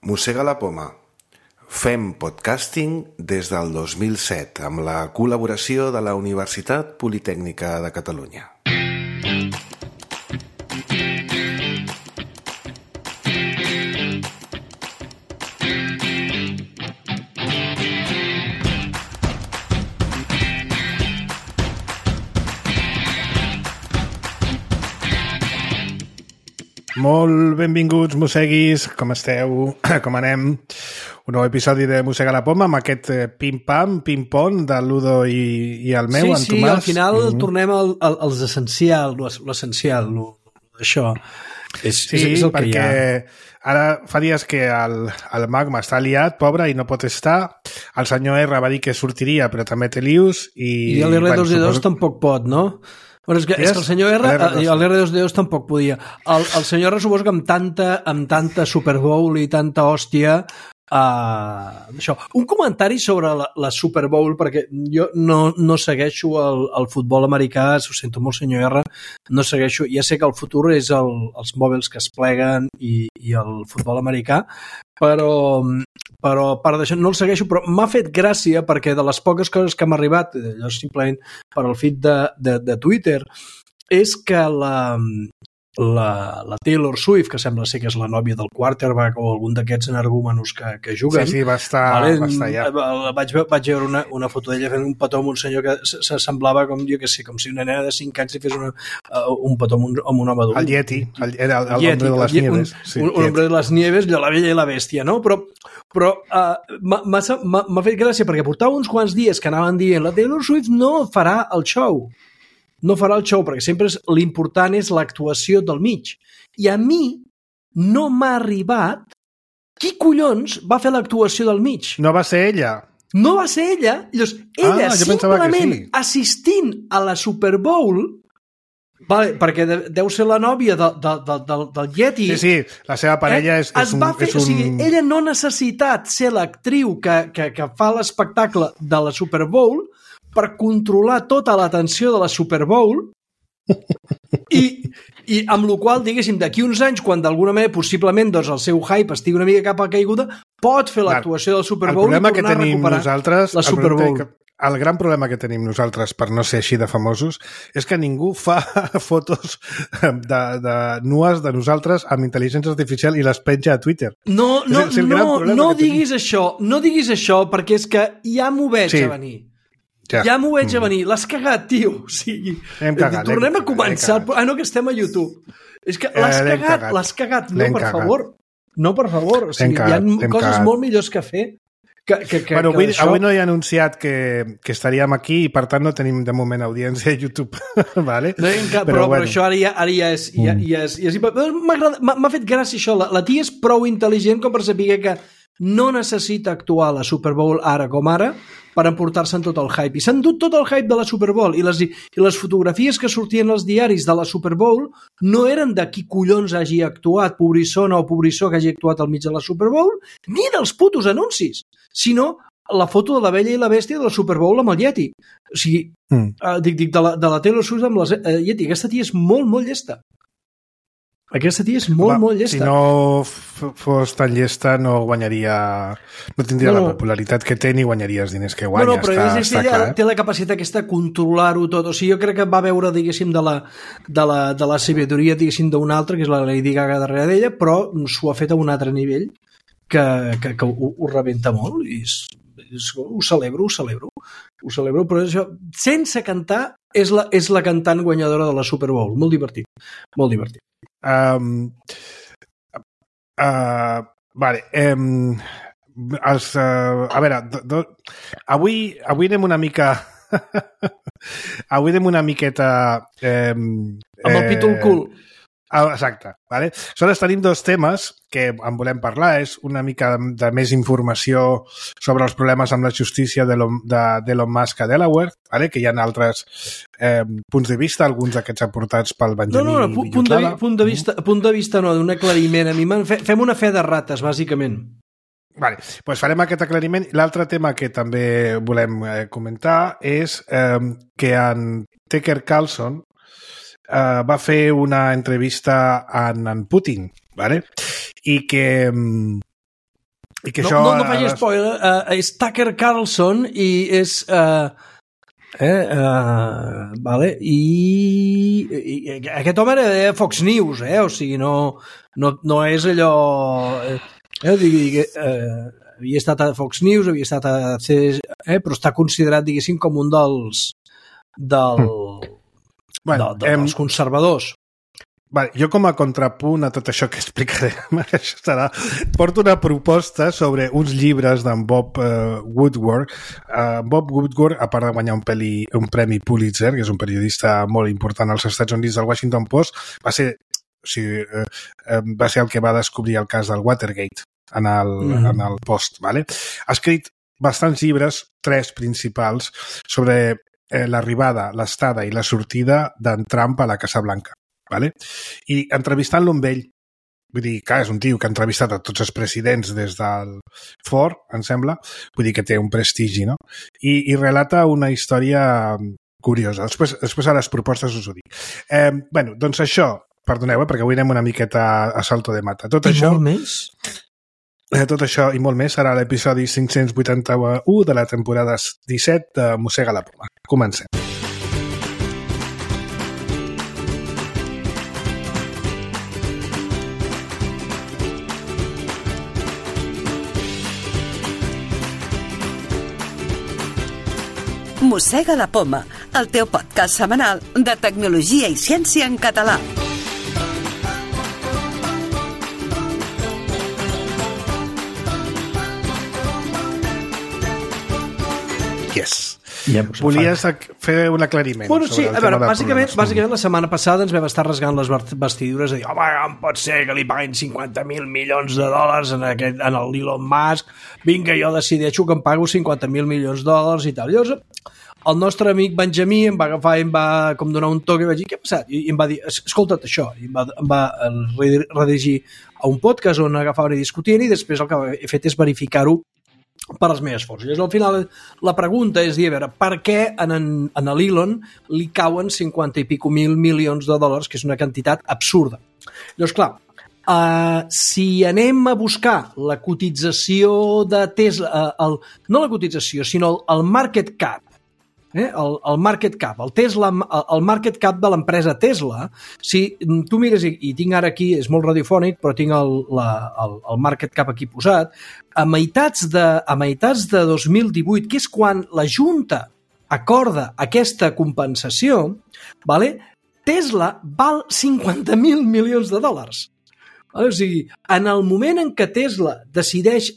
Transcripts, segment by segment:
Mossega la poma. Fem podcasting des del 2007 amb la col·laboració de la Universitat Politècnica de Catalunya. Molt benvinguts, mosseguis, com esteu? Com anem? Un nou episodi de Mossega la poma amb aquest pim-pam, pim-pom de l'Udo i el meu, en Tomàs. Sí, al final tornem als essencial, l'essencial, això. És el que hi ha. Ara fa dies que el Magma està liat, pobre, i no pot estar. El senyor R va dir que sortiria, però també té lius. I l'R2D2 tampoc pot, no? Bueno, és que el senyor R, l'R2D2 tampoc podia. El senyor R suposo que amb tanta Super Bowl i tanta hòstia, això. Un comentari sobre la Super Bowl, perquè jo no segueixo el futbol americà, ho sento molt, senyor R, no segueixo, ja sé que el futur és els mòbils que es pleguen i el futbol americà, però a part d'això no el segueixo, però m'ha fet gràcia perquè de les poques coses que m'ha arribat, allò simplement per al feed de Twitter, és que la Taylor Swift, que sembla ser que és la nòvia del quarterback o algun d'aquests energúmenos que juguen. Sí, va estar ja. Vaig veure una foto d'ella fent un petó amb un senyor que semblava com, jo què sé, com si una nena de 5 anys li fes un petó amb un home adult. El Yeti, era el hombre de les nieves. Un hombre de les nieves, la bella i la bèstia, no? Però m'ha fet gràcia perquè portava uns quants dies que anaven dient la Taylor Swift no farà el show. No farà el show, perquè sempre l'important és l'actuació del mig. I a mi no m'ha arribat qui collons va fer l'actuació del mig. No va ser ella. No va ser ella. Llavors, ella simplement assistint a la Super Bowl, vale, perquè deu ser la nòvia del Yeti. Sí, la seva parella és un... O sigui, ella no ha necessitat ser l'actriu que fa l'espectacle de la Super Bowl per controlar tota l'atenció de la Super Bowl i amb la qual, diguéssim, d'aquí uns anys, quan d'alguna manera possiblement doncs, el seu hype estigui una mica cap a caiguda, pot fer l'actuació del Super Bowl i tornar a recuperar la Super Bowl. El gran problema que tenim nosaltres per no ser així de famosos és que ningú fa fotos nues de nosaltres amb intel·ligència artificial i les penja a Twitter. No diguis això perquè és que ja m'ho veig a venir. Ja m'ho veig a venir. L'has cagat, tio. O sigui, tornem a començar. No, que estem a YouTube. És que l'has cagat. No, per favor. No, per favor. O sigui, hi ha coses molt millors que fer. Avui no he anunciat que estaríem aquí i per tant no tenim de moment audiència a YouTube. Vale? Però això ara ja és... M'ha fet gràcia això. La tia és prou intel·ligent com per saber que no necessita actuar a la Super Bowl ara com ara per emportar-se'n tot el hype. I s'han dut tot el hype de la Super Bowl i les fotografies que sortien als diaris de la Super Bowl no eren de qui collons hagi actuat, pobrissona o pobrissó que hagi actuat al mig de la Super Bowl, ni dels putos anuncis, sinó la foto de la bella i la bèstia de la Super Bowl amb el Yeti. O sigui, dic de la Taylor Swift amb la Yeti. Aquesta tia és molt, molt llesta. Aquesta tia és molt llesta. Si no fos tan llesta no guanyaria, no tindria la popularitat que té ni guanyaria els diners que guanya. Però ella té la capacitat aquesta de controlar-ho tot. O sigui, jo crec que va veure, diguéssim, de la sabidoria, diguéssim, d'una altra, que és la Lady Gaga darrere d'ella, però s'ho ha fet a un altre nivell que ho rebenta molt i ho celebro, però això, sense cantar, és la cantant guanyadora de la Super Bowl. Molt divertit. Vale. A veure, avui anem una mica avui anem una miqueta amb el pítol cul. Exacte. Vale? Aleshores tenim dos temes que en volem parlar. És una mica de més informació sobre els problemes amb la justícia d'Elon Musk a Delaware, vale? Que hi ha altres punts de vista, alguns d'aquests aportats pel Benjamí Villotlada. Punt de vista no, d'un aclariment. Fem una fe de rates, bàsicament. Vale, doncs farem aquest aclariment. L'altre tema que també volem comentar és que en Tucker Carlson va fer una entrevista a en Putin, ¿vale? I que I que no faig spoiler, és Tucker Carlson i és... vale, i aquest home era de Fox News, o sigui, no és allò... havia estat a Fox News, havia estat a però està considerat, diguéssim, com un dels conservadors. Vale, jo com a contrapunt a tot això que explicaré, porto una proposta sobre uns llibres d'en Bob Woodward. Bob Woodward, a part de guanyar un premi Pulitzer, que és un periodista molt important als Estats Units del Washington Post, va ser el que va descobrir el cas del Watergate en el Post. Vale? Ha escrit bastants llibres, 3 principals, sobre l'arribada, l'estada i la sortida d'en Trump a la Casa Blanca. Vale? I entrevistant-lo amb ell, vull dir, clar, és un tio que ha entrevistat a tots els presidents des del Ford, em sembla, vull dir que té un prestigi, no? I relata una història curiosa. Després a les propostes us ho dic. Bueno, doncs això, perdoneu, perquè avui anem una miqueta a salto de mata. Tot això i molt més serà l'episodi 581 de la temporada 17 de Mossega la Poma. Comencem. Mossega la Poma, el teu podcast setmanal de tecnologia i ciència en català. Yes. Volies fer un aclariment. Bueno, sí, a veure, bàsicament la setmana passada ens vam estar rasgant les vestidures de dir, home, com pot ser que li paguin 50.000 milions de dòlars en l'Elon Musk, vinga, jo decideixo que em pago 50.000 milions de dòlars i tal. Llavors, el nostre amic Benjamí em va agafar i em va com donar un toc i vaig dir, què ha passat? I em va dir, escolta't això, i em va redirigir a un podcast on agafaven i discutien i després el que he fet és verificar-ho per les meves forces. Llavors, al final, la pregunta és dir, a veure, per què a l'Elon li cauen 50 i pico mil milions de dòlars, que és una quantitat absurda. Llavors, clar, si anem a buscar la cotització de Tesla, no la cotització, sinó el market cap, el market cap, el market cap de l'empresa Tesla, si tu mires, i tinc ara aquí, és molt radiofònic, però tinc el market cap aquí posat, a meitats de 2018, que és quan la Junta acorda aquesta compensació, vale? Tesla val 50.000 milions de dòlars. O sigui, en el moment en què Tesla decideix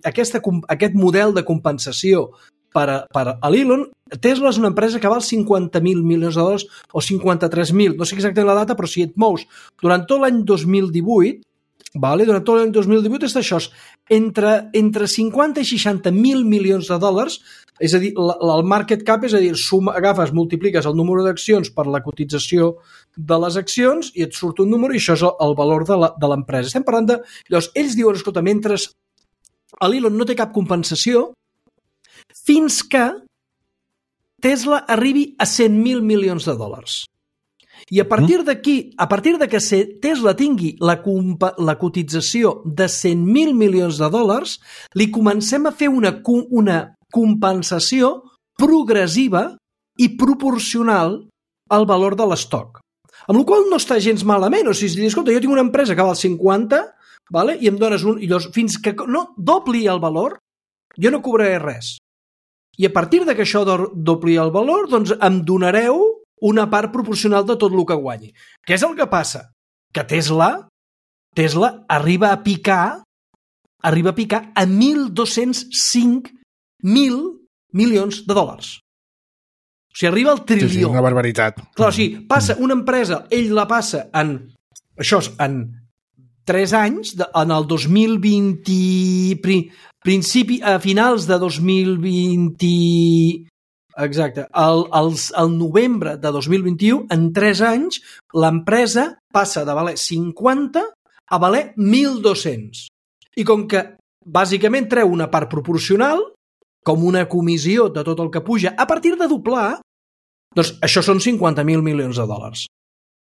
aquest model de compensació per a l'Elon, Tesla és una empresa que val 50.000 milions de dòlars o 53.000, no sé exactament la data, però si et mous durant tot l'any 2018, durant tot l'any 2018 és això, entre 50 i 60.000 milions de dòlars, és a dir, el market cap, és a dir, agafes, multipliques el número d'accions per la cotització de les accions i et surt un número i això és el valor de l'empresa. Estem parlant de... Llavors, ells diuen, escolta, mentre l'Elon no té cap compensació, fins que Tesla arribi a 100.000 milions de dòlars. I a partir d'aquí, a partir de que Tesla tingui la cotització de 100.000 milions de dòlars, li comencem a fer una compensació progressiva i proporcional al valor de l'estoc. Amb la qual cosa no està gens malament. O sigui, escolta, jo tinc una empresa que val 50, vale? I em dones un... I llavors, fins que no dobli el valor, jo no cobraré res. I a partir de que això dobli el valor, doncs em donareu una part proporcional de tot el que guanyi. Què és el que passa? Que Tesla arriba a picar a 1.205.000 milions de dòlars. O sigui, arriba al trilió. Sí, una barbaritat. Clar, o sigui, passa una empresa, ell la passa en 3 anys, en el 2020, a finals de 2020... Exacte. Al novembre de 2021, en 3 anys, l'empresa passa de valer 50 a valer 1.200. I com que bàsicament treu una part proporcional, com una comissió de tot el que puja, a partir de doblar, doncs això són 50.000 milions de dòlars,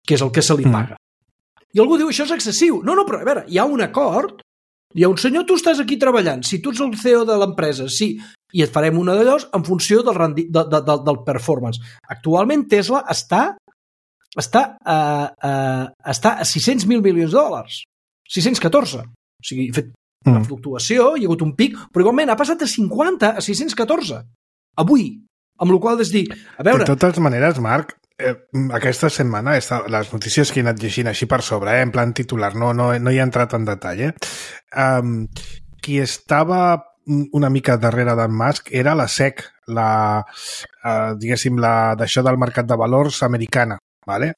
que és el que se li paga. I algú diu, això és excessiu. No, però a veure, hi ha un acord Hi ha un senyor, tu estàs aquí treballant, si tu ets el CEO de l'empresa, sí, i et farem una d'allò en funció del performance. Actualment Tesla està a 600.000 milions de dòlars. 614. O sigui, ha fet una fluctuació, hi ha hagut un pic, però igualment ha passat de 50 a 614. Avui. Amb la qual cosa és dir, a veure... De totes maneres, Marc, aquesta setmana les notícies que he anat llegint així per sobre, en plan titular, no hi he entrat en detall, qui estava una mica darrere d'en Musk era la SEC, diguéssim, d'això del mercat de valors americana, ¿vale?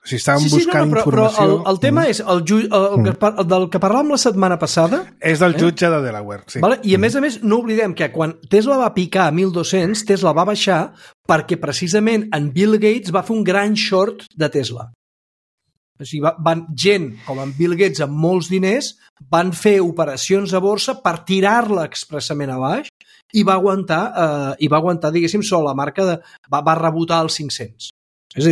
Si estàvem buscant informació... Però el tema és del que parlàvem la setmana passada... És del jutge de Delaware, sí. Vale? I a més, no oblidem que quan Tesla va picar a 1.200, Tesla va baixar perquè precisament en Bill Gates va fer un gran short de Tesla. O sigui, gent com en Bill Gates amb molts diners van fer operacions a borsa per tirar-la expressament a baix i va aguantar, diguéssim, la marca de... va rebotar als 500. És a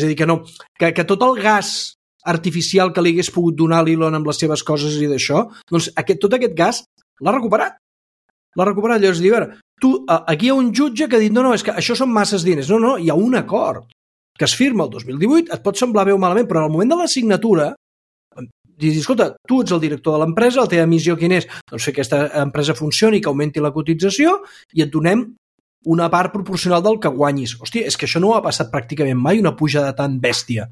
dir, que tot el gas artificial que li hagués pogut donar l'Elon amb les seves coses i d'això, doncs tot aquest gas l'ha recuperat. Llavors, diu, a veure, aquí hi ha un jutge que ha dit, no, és que això són masses diners. No, hi ha un acord que es firma el 2018, et pot semblar bé o malament, però en el moment de la signatura, dius, escolta, tu ets el director de l'empresa, la teva missió quina és? Doncs fer que aquesta empresa funcioni, que augmenti la cotització i et donem una part proporcional del que guanyis. Hòstia, és que això no ha passat pràcticament mai, una pujada tan bèstia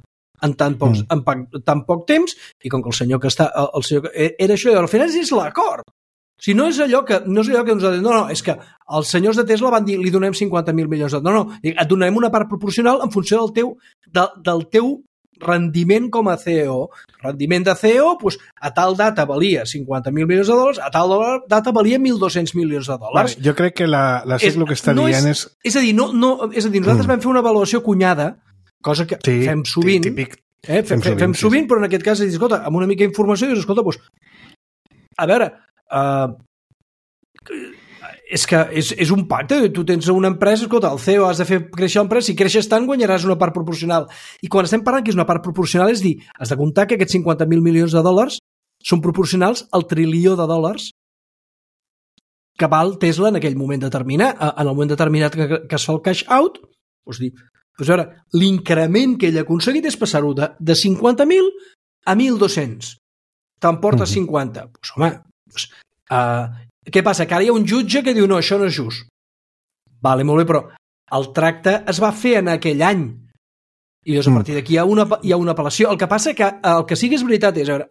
en tan poc temps, i com que el senyor que està... era això, i al final és l'acord. O sigui, no és allò que nosaltres... No, és que els senyors de Tesla van dir li donem 50.000 milions de... No, et donem una part proporcional en funció del teu rendiment com a CEO. Rendiment de CEO, doncs, a tal data valia 50.000 milions de dòlars, a tal data valia 1.200 milions de dòlars. Vale, jo crec que la SEC el que està dient és... És a dir, nosaltres vam fer una avaluació cunyada, cosa que fem sovint, típic. Fem sovint, però en aquest cas, escolta, amb una mica d'informació, dius, escolta, doncs, a veure, és que és un pacte, tu tens una empresa, escolta, el CEO has de fer créixer l'empresa, si creixes tant guanyaràs una part proporcional. I quan estem parlant que és una part proporcional és dir, has de comptar que aquests 50.000 milions de dòlars són proporcionals al trilió de dòlars que val Tesla en aquell moment determinat. En el moment determinat que es fa el cash out, doncs dir, doncs a veure, l'increment que ell ha aconseguit és passar-ho de 50.000 a 1.200. Te'n portes 50. Doncs home, què passa? Que ara hi ha un jutge que diu no, això no és just. Vale, molt bé, però el tracte es va fer en aquell any. I llavors a partir d'aquí hi ha una apel·lació. El que passa que el que sí que és veritat és, a veure,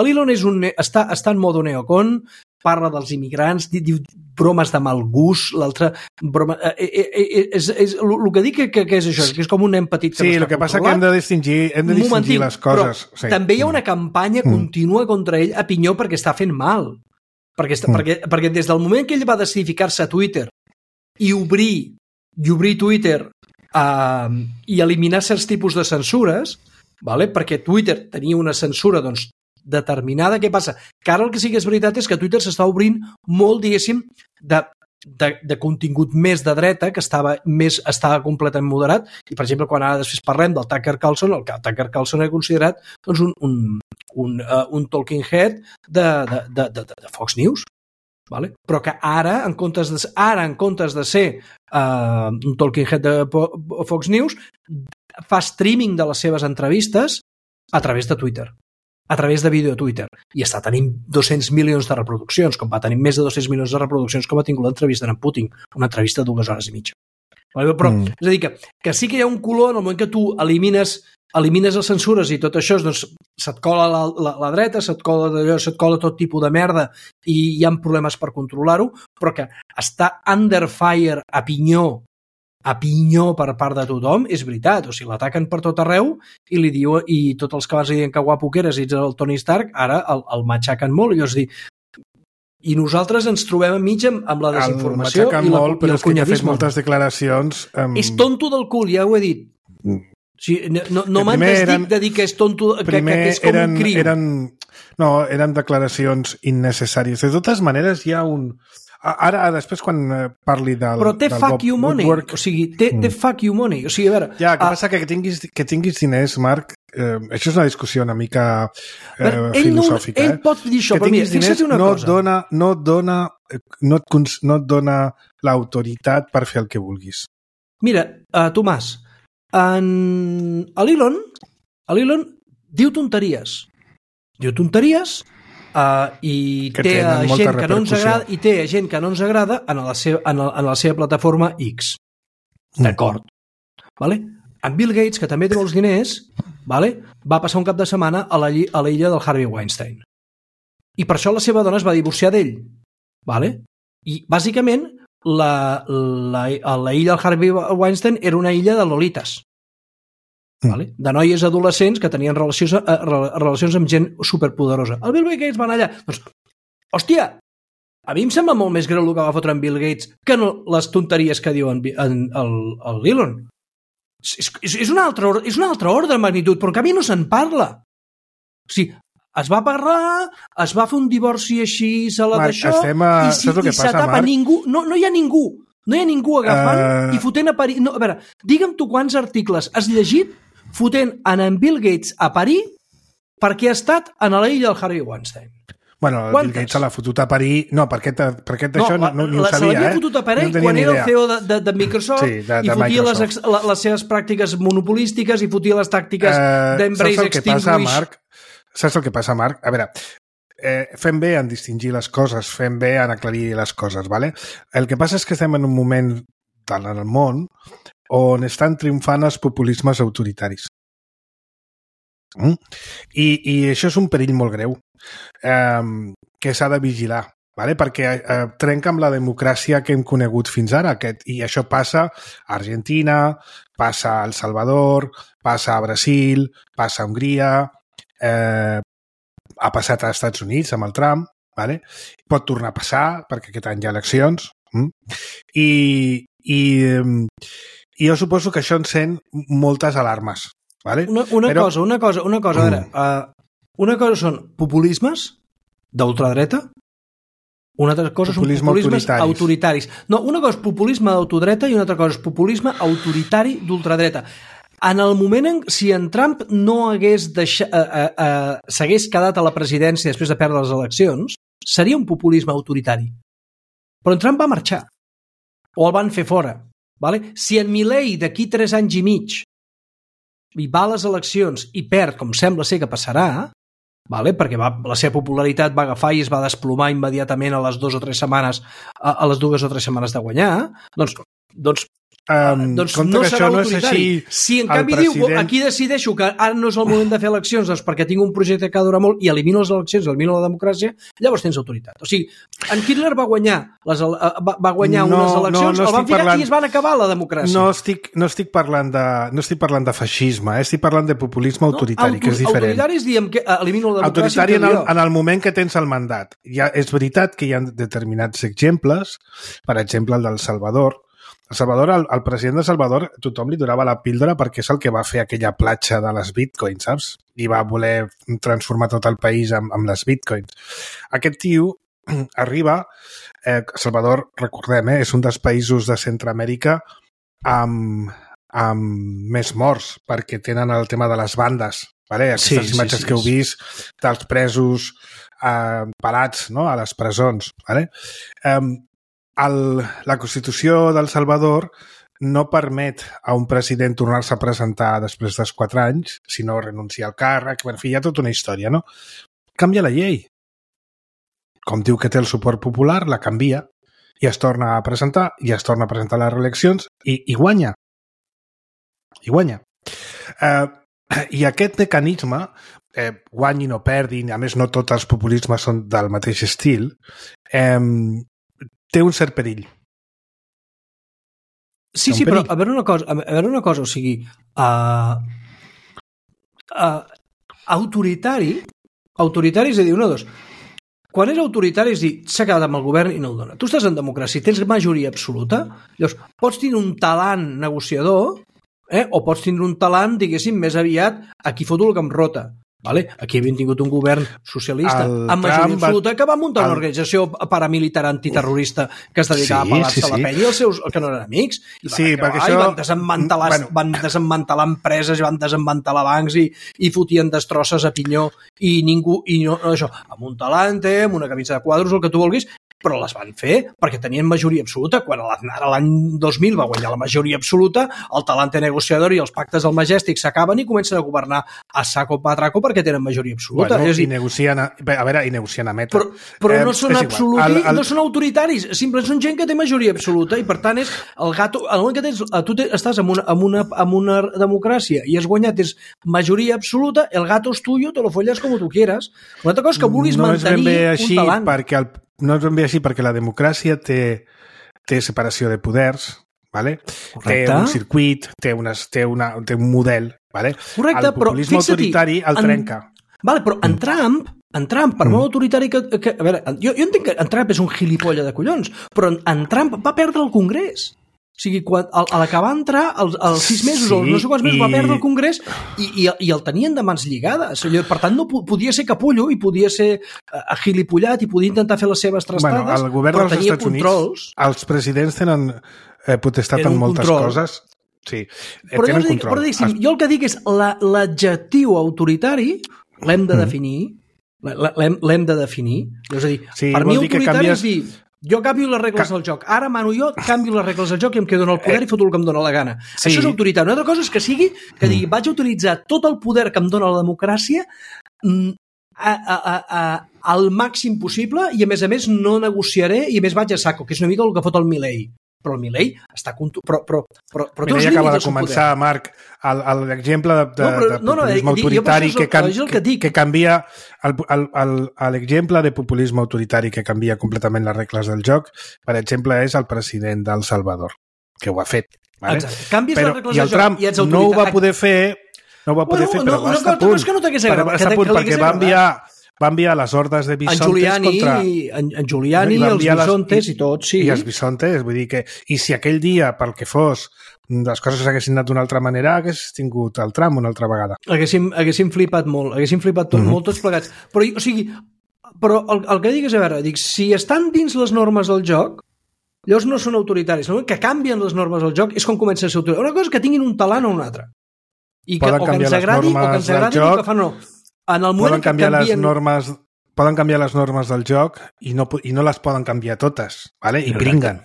l'Elon està en modo neocon, parla dels immigrants, diu bromes de mal gust, l'altre broma... el que dic que és això, que és com un nen petit que sí, no està controlat. Sí, el que passa que hem de distingir les coses. Però també hi ha una campanya contínua contra ell a pinyó perquè està fent mal. Perquè des del moment que ell va decidir ficar-se a Twitter i obrir Twitter i eliminar certs tipus de censures, vale? Perquè Twitter tenia una censura doncs, determinada, què passa? Que ara el que sí que és veritat és que Twitter s'està obrint molt, diguéssim, de contingut més de dreta, que estava completament moderat, i per exemple quan ara després parlem del Tucker Carlson, el Tucker Carlson ha considerat doncs, un talking head de Fox News, vale? Però que ara en comptes de ser un talking head de Fox News, fa streaming de les seves entrevistes a través de Twitter, a través de vídeo a Twitter, i està tenint 200 milions de reproduccions, com va tenir més de 200 milions de reproduccions com ha tingut l'entrevista d'en Putin, una entrevista de 2 hores i mitja. Però, és a dir, que sí que hi ha un color en el moment que tu elimines les censures i tot això, doncs se't cola la dreta, se't cola tot tipus de merda i hi ha problemes per controlar-ho, però que està under fire a pinyó per part de tothom, és veritat. O sigui, l'ataquen per tot arreu i li diu, i tots els que abans li diuen que guapo que eres i ets el Tony Stark, ara el matxaquen molt. I llavors dir, i nosaltres ens trobem enmig amb la desinformació i el molt, però és que ha fet moltes declaracions... És tonto del cul, ja ho he dit. O sigui, no m'han desdit de dir que és tonto, que és com un crim. Eren declaracions innecessàries. De totes maneres, hi ha Ara, després, quan parli del... Però té fuck you money. Woodward... O sigui, té fuck you money. O sigui, a veure... Ja, que passa que tinguis diners, Marc, això és una discussió una mica filosòfica. Ell pot dir això, que però mira, fixa't una cosa. No et dona l'autoritat per fer el que vulguis. Mira, Tomàs, l'Elon diu tonteries. I té gent que no ens agrada en la seva plataforma X. D'acord. Vale? En Bill Gates, que també té molts diners, vale? Va passar un cap de setmana a l'illa del Harvey Weinstein. I per això la seva dona es va divorciar d'ell. Vale? I, bàsicament, la illa del Harvey Weinstein era una illa de lolites. Vale? De noies adolescents que tenien relacions amb gent superpoderosa. El Bill Gates va anar allà. Doncs, hòstia, a mi em sembla molt més greu el que va fotre en Bill Gates que no les tonteries que diu l'Elon. És un altre ordre de magnitud, però en canvi no se'n parla. O sigui, es va parlar, es va fer un divorci així, d'això, i s'atapa ningú. No hi ha ningú. No hi ha ningú agafant i fotent a parir. No, a veure, digue'm tu quants articles has llegit fotent en Bill Gates a parir perquè ha estat a l'illa del Harvey Weinstein. Bueno, el Bill Gates se l'ha fotut a parir... No, per aquest d'això no ho sabia, se l'havia fotut a parir quan era el CEO de Microsoft i fotia les seves pràctiques monopolístiques i fotia les tàctiques d'embrace extinguish. Saps el que passa, Marc? A veure, fem bé en distingir les coses, fem bé en aclarir les coses, ¿vale? El que passa és que estem en un moment en el món on estan triomfant els populismes autoritaris. I això és un perill molt greu que s'ha de vigilar, ¿vale? Perquè trenca amb la democràcia que hem conegut fins ara, i això passa a Argentina, passa a El Salvador, passa a Brasil, passa a Hongria, ha passat als Estats Units amb el Trump, ¿vale? Pot tornar a passar perquè aquest any hi ha eleccions, i jo suposo que això encén moltes alarmes, ¿vale? Una cosa, a veure, una cosa són populismes d'ultradreta, una altra cosa són populismes autoritaris. No, una cosa és populisme d'autodreta i una altra cosa és populisme autoritari d'ultradreta. En el moment si en Trump no s'hagués quedat a la presidència després de perdre les eleccions, seria un populisme autoritari. Però en Trump va marxar. O el van fer fora. Vale? Si en Milei d'aquí 3 anys i mig hi va a les eleccions i perd, com sembla ser que passarà, vale? Perquè la seva popularitat va agafar i es va desplomar immediatament a les 2 o 3 setmanes de guanyar, doncs no serà autoritari. Si en canvi diu, aquí decideixo que ara no és el moment de fer eleccions perquè tinc un projecte que ha durat molt i elimino les eleccions, elimino la democràcia, llavors tens autoritat. O sigui, en Hitler va guanyar unes eleccions, el van ficar i es van acabar la democràcia. No estic parlant de feixisme, estic parlant de populisme autoritari, que és diferent. Autoritaris diem que elimino la democràcia. Autoritari en el moment que tens el mandat. És veritat que hi ha determinats exemples, per exemple el del Salvador. El president de Salvador, tothom li donava la píldora perquè és el que va fer aquella platja de les bitcoins, saps? I va voler transformar tot el país amb les bitcoins. Aquest tio arriba... Salvador, recordem, és un dels països de Centroamèrica amb més morts, perquè tenen el tema de les bandes. Vale? Aquestes imatges que heu vist dels presos parats, no? A les presons. Vale? La Constitució del Salvador no permet a un president tornar-se a presentar després dels 4 anys, sinó renunciar al càrrec. En fi, hi ha tota una història, no? Canvia la llei. Com diu que té el suport popular, la canvia i es torna a presentar, i es torna a presentar a les reeleccions i guanya. I guanya. I aquest mecanisme, guanyin o perdin, a més no tots els populismes són del mateix estil, té un cert perill. Sí, però a veure una cosa, o sigui, autoritari és a dir, una o dos. Quan és autoritari és dir, s'ha quedat amb el govern i no el dona. Tu estàs en democràcia, tens majoria absoluta, llavors pots tenir un talant negociador, o pots tindre un talant, diguéssim, més aviat, aquí foto el que em rota. Vale? Aquí havien tingut un govern socialista amb majoria absoluta que va muntar una organització paramilitar antiterrorista que es dedicava a pelar-se la penya i els seus, que no eren amics. Van desmantelar empreses i van desmantelar bancs i fotien destrosses a pinyó i ningú, i no, això, amb un talante, amb una camisa de quadros, el que tu vulguis, però les van fer perquè tenien majoria absoluta. Quan ara l'any 2000 va guanyar la majoria absoluta, el talante negociador i els pactes del Majestic s'acaben i comencen a governar a saco patraco perquè tenen majoria absoluta. Bueno, i negocien a meta. Però no són absoluts, no són autoritaris, simplement són gent que té majoria absoluta i per tant és el gato, el moment que tu estàs en una democràcia i has guanyat és majoria absoluta, el gato és tuyo, te lo folles com tu quieras. Una altra cosa és que vulguis mantenir un talant. No és ben bé així perquè la democràcia té separació de poders, ¿vale? Té un circuit, té un model, ¿vale? Correcte, el populisme autoritari el trenca. Vale, però en Trump, per molt autoritari que... A veure, jo entenc que en Trump és un gilipolles de collons, però en Trump va perdre el Congrés. O sigui, a l'acabar entrar, als 6 mesos o no sé quants mesos, va perdre el Congrés i el tenien de mans lligades. Per tant, no podia ser capullo i podia ser agilipollat i podia intentar fer les seves trastades, el govern dels Estats Units, els presidents tenen potestat en moltes coses. Sí, tenen control. Però jo el que dic és l'adjectiu autoritari l'hem de definir. L'hem de definir. És a dir, per mi autoritari és dir... Jo canvio les regles del joc. Ara, mano, jo canvio les regles del joc i em quedo en el poder i foto el que em dóna la gana. Sí. Això és autoritari. Una altra cosa és que sigui que digui vaig a utilitzar tot el poder que em dóna la democràcia al màxim possible i, a més, no negociaré i, a més, vaig a saco, que és una mica el que fot el Milei. Però el Milei està... Però ja acaba de començar, Marc, l'exemple de populisme autoritari que canvia... L'exemple de populisme autoritari que canvia completament les regles del joc, per exemple, és el president d'El Salvador, que ho ha fet. Exacte. Canvies les regles del joc i el Trump no ho va poder fer, però va estar a punt. Va estar a punt perquè va enviar les hordes de bisontes contra... En Giuliani, els bisontes i tot, sí. I els bisontes, vull dir que... I si aquell dia, pel que fos, les coses s'haguessin anat d'una altra manera, hagués tingut el Trump una altra vegada. Haguéssim flipat molt, molt tots plegats. Però el que dic és, a veure, si estan dins les normes del joc, llavors no són autoritaris. Que canvien les normes del joc és com comença a ser autoritaris. Una cosa és que tinguin un talant o un altre. I que, o que ens agradi el que fan, no. Poden canviar les normes del joc i no les poden canviar totes, ¿vale? I bringuen.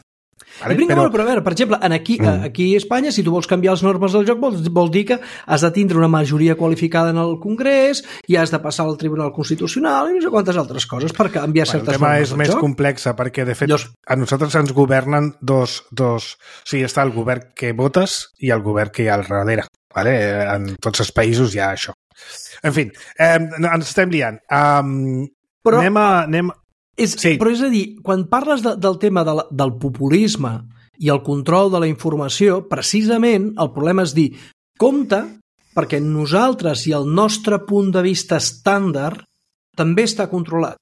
Vale? Però a veure, per exemple, aquí a Espanya, si tu vols canviar les normes del joc, vol dir que has de tindre una majoria qualificada en el Congrés i has de passar al Tribunal Constitucional i no sé quantes altres coses per canviar certes normes del joc. El tema és més complex, perquè, de fet, a nosaltres ens governen dos... O sigui, està el govern que votes i el govern que hi ha al darrere. Vale? En tots els països hi ha això. En fi, ens estem liant. Però és a dir, quan parles del tema del populisme i el control de la informació, precisament el problema és dir, compte, perquè nosaltres i el nostre punt de vista estàndard també està controlat.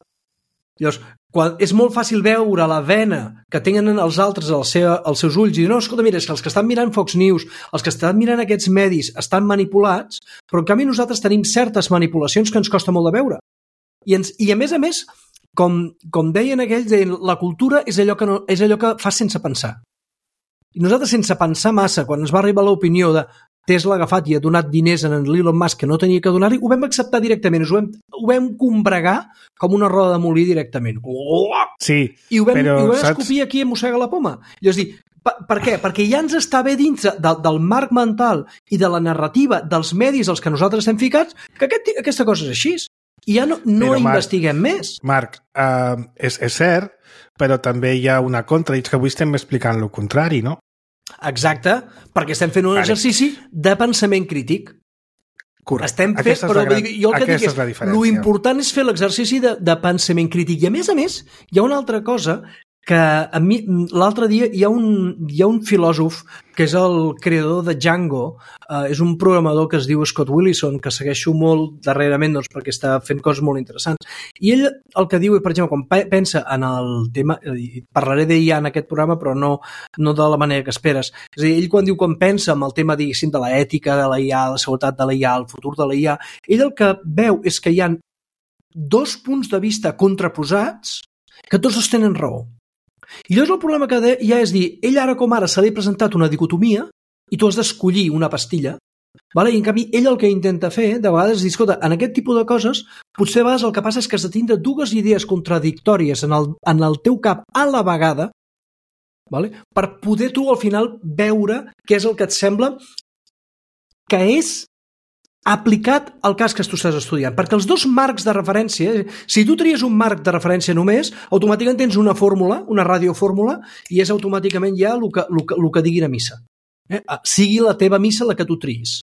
Llavors, és molt fàcil veure la vena que tenen els altres als seus ulls i dir, no, escolta, mira, és que els que estan mirant Fox News, els que estan mirant aquests medis estan manipulats, però en canvi nosaltres tenim certes manipulacions que ens costa molt de veure. I a més, com deien aquells, la cultura és allò que fas sense pensar. I nosaltres, sense pensar massa, quan ens va arribar l'opinió de Tesla ha agafat i ha donat diners a l'Elon Musk que no tenia que donar-li, ho vam acceptar directament, ho vam combregar com una roda de molí directament. Sí, I ho vam escopir aquí i mossega la poma. És dir, per què? Perquè ja ens està bé dins del marc mental i de la narrativa dels medis als que nosaltres estem ficats que aquesta cosa és així. I ja no investiguem més. Marc, és cert, però també hi ha una contra, i és que avui estem explicant el contrari, no? Exacte, perquè estem fent un exercici de pensament crític. Correcte. Aquesta és la diferència. L'important és fer l'exercici de pensament crític. I a més, hi ha una altra cosa que a mi l'altre dia hi ha un filòsof que és el creador de Django, és un programador que es diu Scott Willison, que segueixo molt darrerament doncs, perquè està fent coses molt interessants. I ell el que diu, per exemple, quan pensa en el tema, parlaré d'IA en aquest programa, però no de la manera que esperes. És a dir, ell quan pensa en el tema, diguéssim, de l'ètica de la IA, la seguretat de la IA, el futur de la IA, ell el que veu és que hi ha dos punts de vista contraposats que tots dos tenen raó. I llavors el problema que hi ha és dir, ell ara com ara se li ha presentat una dicotomia i tu has d'escollir una pastilla, vale? I en canvi ell el que intenta fer de vegades és dir, escolta, en aquest tipus de coses potser a vegades el que passa és que has de tindre dues idees contradictòries en el teu cap a la vegada, vale? Per poder tu al final veure què és el que et sembla que és aplicat al cas que tu estàs estudiant. Perquè els dos marcs de referència, si tu tries un marc de referència només, automàticament tens una fórmula, una radiofórmula, i és automàticament ja el que diguin a missa. Sigui la teva missa la que tu triïs.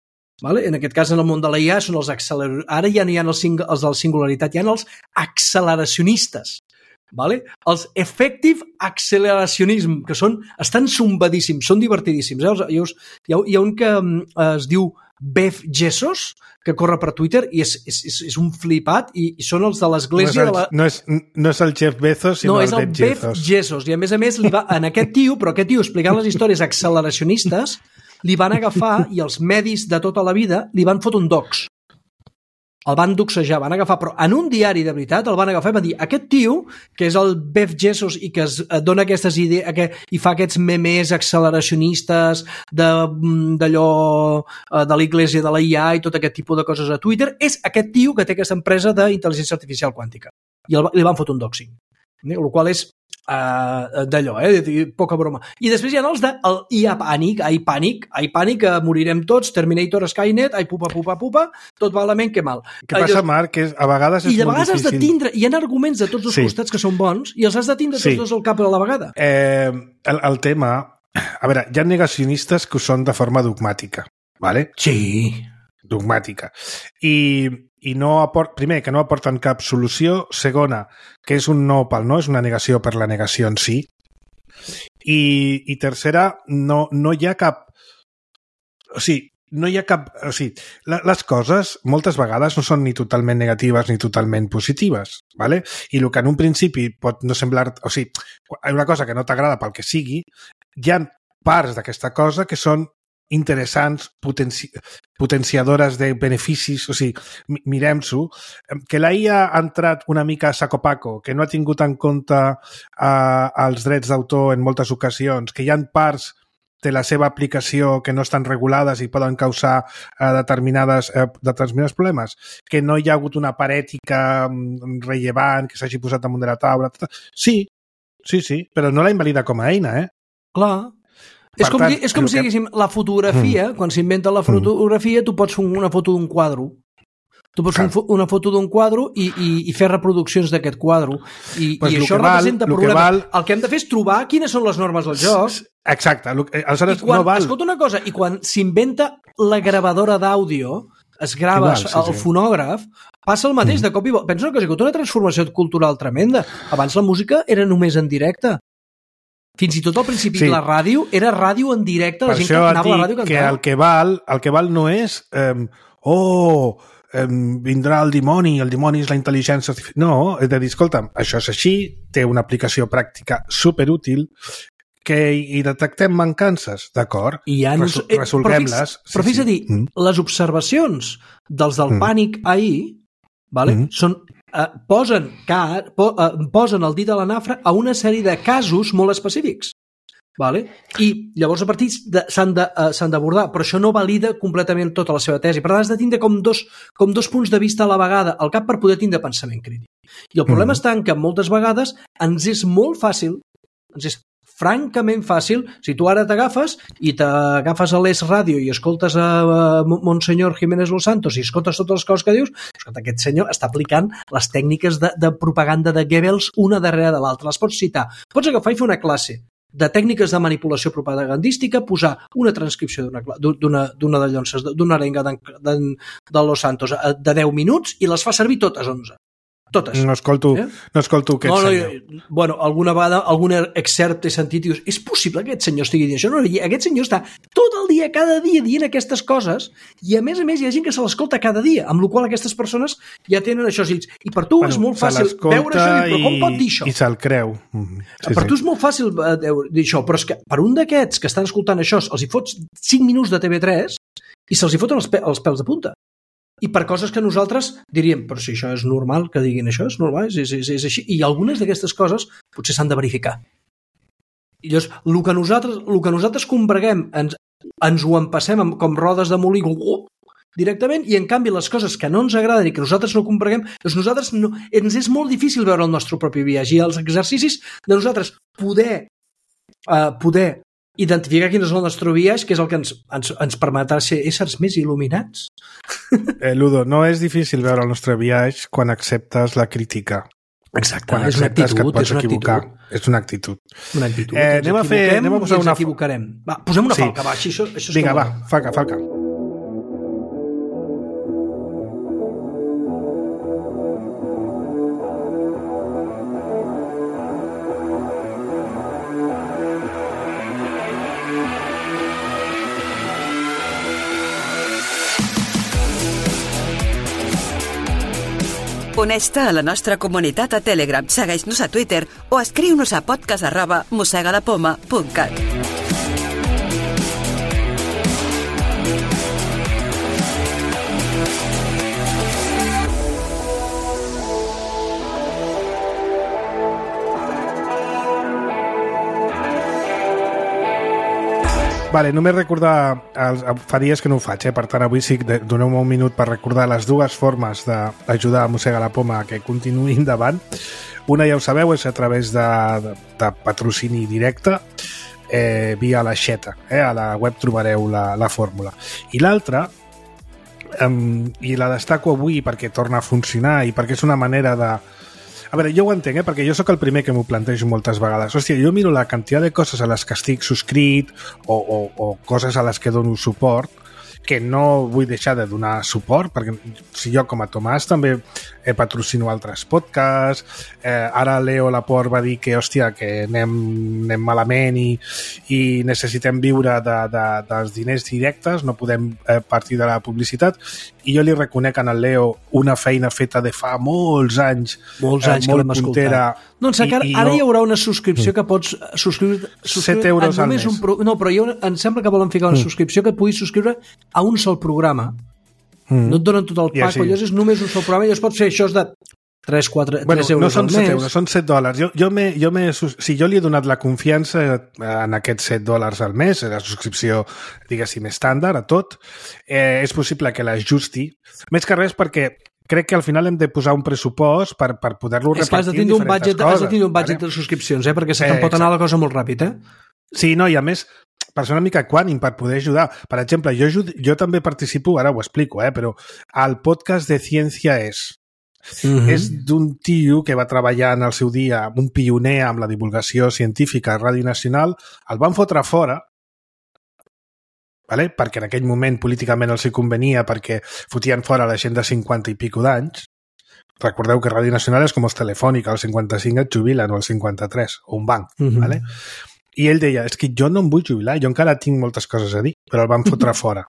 Vale? En aquest cas, en el món de la IA, són ara ja no hi ha els de la singularitat, hi ha els acceleracionistes. Vale? Els effective acceleracionism, que estan zumbadíssims, són divertidíssims. Hi ha un que es diu Jeff Bezos, que corre per Twitter i és un flipat i són els de l'església no és el Jeff Bezos, sinó és el Jeff Bezos. I a més en aquest tio explicant les històries acceleracionistes, li van agafar i els medis de tota la vida li van fotre un dox. El van doxejar, van agafar, però en un diari de veritat el van agafar i van dir, aquest tio, que és el Jeff Bezos i que es dona aquestes idees i fa aquests memes acceleracionistes d'allò de l'església de la IA i tot aquest tipus de coses a Twitter, és aquest tio que té aquesta empresa d'intel·ligència artificial quàntica. I li van fotre un doxing. El qual és d'allò, poca broma. I després hi ha els de IA pànic, morirem tots, Terminator, Skynet, pupa, tot malament que mal. Què passa, Marc? Que a vegades és molt difícil. I a vegades has de tindre, hi ha arguments de tots els costats que són bons i els has de tindre tots dos al cap a la vegada. El tema, a veure, hi ha negacionistes que ho són de forma dogmàtica, ¿vale? Sí. Dogmàtica. I primer, que no aporten cap solució. Segona, que és un no pel no, és una negació per la negació en si. I tercera, no hi ha cap... O sigui, les coses moltes vegades no són ni totalment negatives ni totalment positives, ¿vale? I el que en un principi pot no semblar... O sigui, una cosa que no t'agrada pel que sigui, hi ha parts d'aquesta cosa que són interessants, potenciadores de beneficis, o sigui, mirem-s'ho, que la IA ha entrat una mica a saco-paco, que no ha tingut en compte els drets d'autor en moltes ocasions, que hi ha parts de la seva aplicació que no estan regulades i poden causar determinats problemes, que no hi ha hagut una part ètica rellevant que s'hagi posat damunt de la taula. Sí, però no la invalida com a eina, Clar. És com si diguéssim, la fotografia, quan s'inventa la fotografia, tu pots fer una foto d'un quadre. Tu pots fer una foto d'un quadre i fer reproduccions d'aquest quadre. I això representa problema. El que hem de fer és trobar quines són les normes del joc. Exacte. Aleshores, no val. Escolta una cosa, i quan s'inventa la gravadora d'àudio, es grava el fonògraf, passa el mateix de cop i volta. Pensa una cosa, que una transformació cultural tremenda. Abans la música era només en directe. Fins i tot al principi la ràdio era ràdio en directe, la gent que anava a la ràdio a cantar. Que el que val no és vindrà el dimoni és la intel·ligència artificial. No, és de dir, escolta'm, això és així, té una aplicació pràctica superútil, que hi detectem mancances, d'acord? Resolguem-les. Però fins a dir, les observacions dels del pànic ahir, són... posen el dit a la nafra a una sèrie de casos molt específics. Vale? I llavors a partir s'han d'abordar, però això no valida completament tota la seva tesi. Per tant, has de tindre com dos punts de vista a la vegada al cap per poder tindre pensament crític. I el problema està en que moltes vegades ens és molt fàcil, ens és francament fàcil, si tu ara t'agafes a l'Es Ràdio i escoltes a Monsenyor Jiménez Los Santos i escoltes totes les coses que dius, escolta, aquest senyor està aplicant les tècniques de propaganda de Goebbels una darrere de l'altra. Les pots citar. Pots agafar i fer una classe de tècniques de manipulació propagandística, posar una transcripció d'una de llonces, d'una arenga de Los Santos de 10 minuts i les fa servir totes 11. Totes. No escolto aquest senyor. Bueno, alguna vegada, algun excerpt he sentit i dius, és possible que aquest senyor estigui dient això? No, aquest senyor està tot el dia, cada dia, dient aquestes coses i a més hi ha gent que se l'escolta cada dia, amb la qual cosa aquestes persones ja tenen això. I per tu és molt fàcil veure això i dir, però com pot dir això? I se'l creu. Per tu és molt fàcil dir això, però és que per un d'aquests que estan escoltant això els hi fots 5 minuts de TV3 i se'ls hi foten els pèls de punta. I per coses que nosaltres diríem, però si això és normal que diguin això, és normal, és així. I algunes d'aquestes coses potser s'han de verificar. I llavors, el que nosaltres combreguem, ens ho empassem com rodes de molí directament, i en canvi les coses que no ens agraden i que nosaltres no combreguem, ens és molt difícil veure el nostre propi viatge. I els exercicis de nosaltres poder identificar quin és el nostre viatge, que és el que ens permetrà ser éssers més il·luminats. Ludo, no és difícil veure el nostre viatge quan acceptes la crítica. Exacte, quan és una actitud. És una actitud. Anem a posar una... Ens equivocarem. Va, posem una falca, va. Això vinga, va, falca. Uneix-te a la nostra comunitat a Telegram, segueix-nos a Twitter o escriu-nos a podcast@mossegalapoma.cat. Vale, només recordar, fa dies que no ho faig, per tant avui sí que doneu-me un minut per recordar les dues formes d'ajudar a Mossega la Poma que continuï endavant. Una, ja ho sabeu, és a través de patrocini directe via l'aixeta. A la web trobareu la fórmula. I l'altra, i la destaco avui perquè torna a funcionar i perquè és una manera de... A veure, jo ho entenc, perquè jo sóc el primer que m'ho plantejo moltes vegades. Hòstia, jo miro la quantitat de coses a les que estic subscrit o coses a les que dono suport, que no vull deixar de donar suport, perquè si jo com a Tomàs també patrocino altres podcasts, ara Leo Laporte va dir que, hòstia, que anem malament i necessitem viure dels diners directes, no podem partir de la publicitat, i jo li reconec en el Leo una feina feta de fa molts anys molt puntera. Doncs ara hi haurà una subscripció que pots subscriure 7 euros al mes. No, però em sembla que volen ficar una subscripció que et puguis subscriure a un sol programa. No et donen tot el pack, llavors és només un sol programa i llavors pots fer això de 3 euros no són al 7 mes. Euros, són $7. Jo li he donat la confiança en aquests $7 al mes, la subscripció, diguéssim, estàndard a tot. És possible que l'ajusti, més que res perquè crec que al final hem de posar un pressupost per poder-lo repartir en diferents coses. Has de tenir un budget de subscripcions, perquè se te'n pot anar la cosa molt ràpid, Sí, no, i a més, per ser una mica equànim, per poder ajudar. Per exemple, jo també participo, ara ho explico, però al podcast de Ciència és d'un tio que va treballar en el seu dia, un pioner amb la divulgació científica a Ràdio Nacional, el van fotre fora, perquè en aquell moment políticament els hi convenia, perquè fotien fora la gent de 50 i pico d'anys. Recordeu que Ràdio Nacional és com els Telefònica, als 55 et jubilen, o als 53, o un banc, I ell deia, és que jo no em vull jubilar, jo encara tinc moltes coses a dir, però el van fotre fora,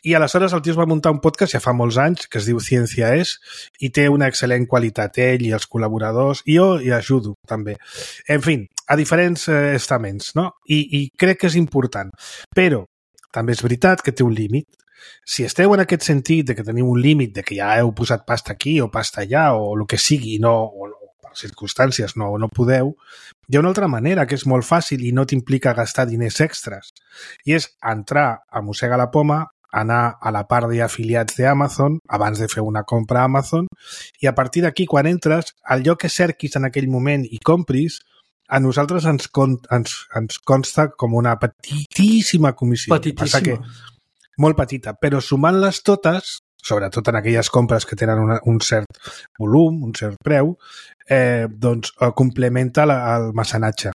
I aleshores el tio es va muntar un podcast ja fa molts anys, que es diu Ciència és, i té una excel·lent qualitat, ell i els col·laboradors, i jo hi ajudo, també. En fi, a diferents estaments, no? I crec que és important. Però també és veritat que té un límit. Si esteu en aquest sentit de que teniu un límit, de que ja heu posat pasta aquí o pasta allà, o el que sigui, o per circumstàncies no podeu, hi ha una altra manera que és molt fàcil i no t'implica gastar diners extras. I és entrar a Mossega la Poma, anar a la part d'afiliats d'Amazon, abans de fer una compra a Amazon, i a partir d'aquí, quan entres, el lloc que cerquis en aquell moment i compris, a nosaltres ens consta com una petitíssima comissió. Petitíssima. Molt petita, però sumant-les totes, sobretot en aquelles compres que tenen un cert volum, un cert preu, doncs complementa el mecenatge.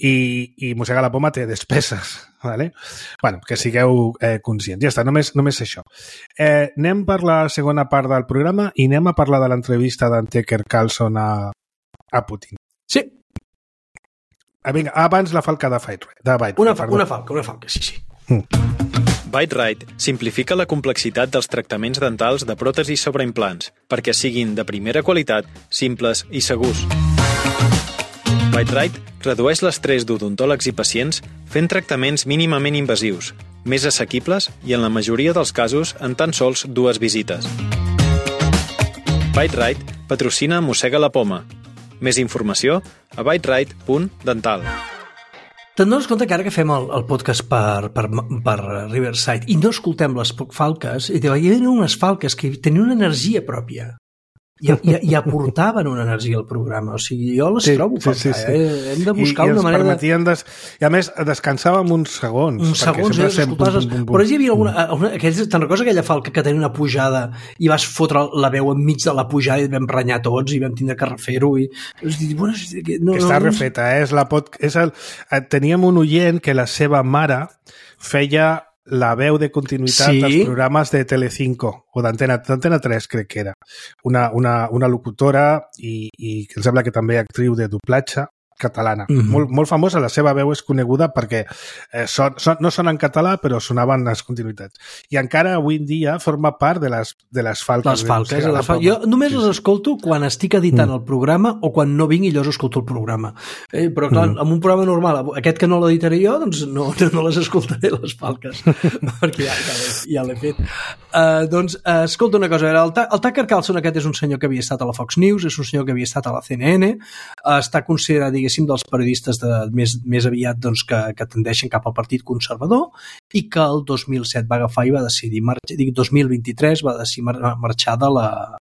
i mossega la poma té despeses, ¿vale? Bueno, que sigueu conscients. Ja està, només això. Anem per la segona part del programa i anem a parlar de l'entrevista d'en Tucker Carlson a Putin. Sí. Vinga, abans la falca de Byte. Una falca, sí. Byte Right simplifica la complexitat dels tractaments dentals de pròtesis sobre implants perquè siguin de primera qualitat, simples i segurs. Byte Right redueix l'estrès d'odontòlegs i pacients fent tractaments mínimament invasius, més assequibles i en la majoria dels casos en tan sols 2 visites. Byte Right patrocina Mossega la Poma. Més informació a byteright.dental. Te'n dones compte que ara que fem el podcast per Riverside i no escoltem les falques, hi havia unes falques que tenien una energia pròpia i aportaven una energia al programa. O sigui, jo les trobo a faltar. Sí. Hem de buscar una manera I a més, descansàvem uns segons. Uns segons, però hi havia alguna... Te'n recordes aquella falca que tenia una pujada i vas fotre la veu enmig de la pujada i vam renyar tots i vam tindre que refer-ho i... Està refeta, teníem un oient que la seva mare feia la veu de continuïtat dels programes de Telecinco o d'Antena 3, crec que era. Una locutora i em sembla que també actriu de doblatge catalana. Molt famosa, la seva veu és coneguda perquè no són en català, però sonaven les continuïtats. I encara avui en dia forma part de les falques. Jo només les escolto quan estic editant el programa o quan no vinc i llavors escolto el programa. Però clar, en un programa normal, aquest que no l'editaré jo, doncs no les escoltaré, les falques, perquè ja l'he fet. Doncs, escolta una cosa, el Tucker Carlson aquest és un senyor que havia estat a la Fox News, és un senyor que havia estat a la CNN, està considerat, dels periodistes més aviat doncs, que tendeixen cap al Partit Conservador i que el 2007 va agafar i va decidir 2023 va decidir marxar de la...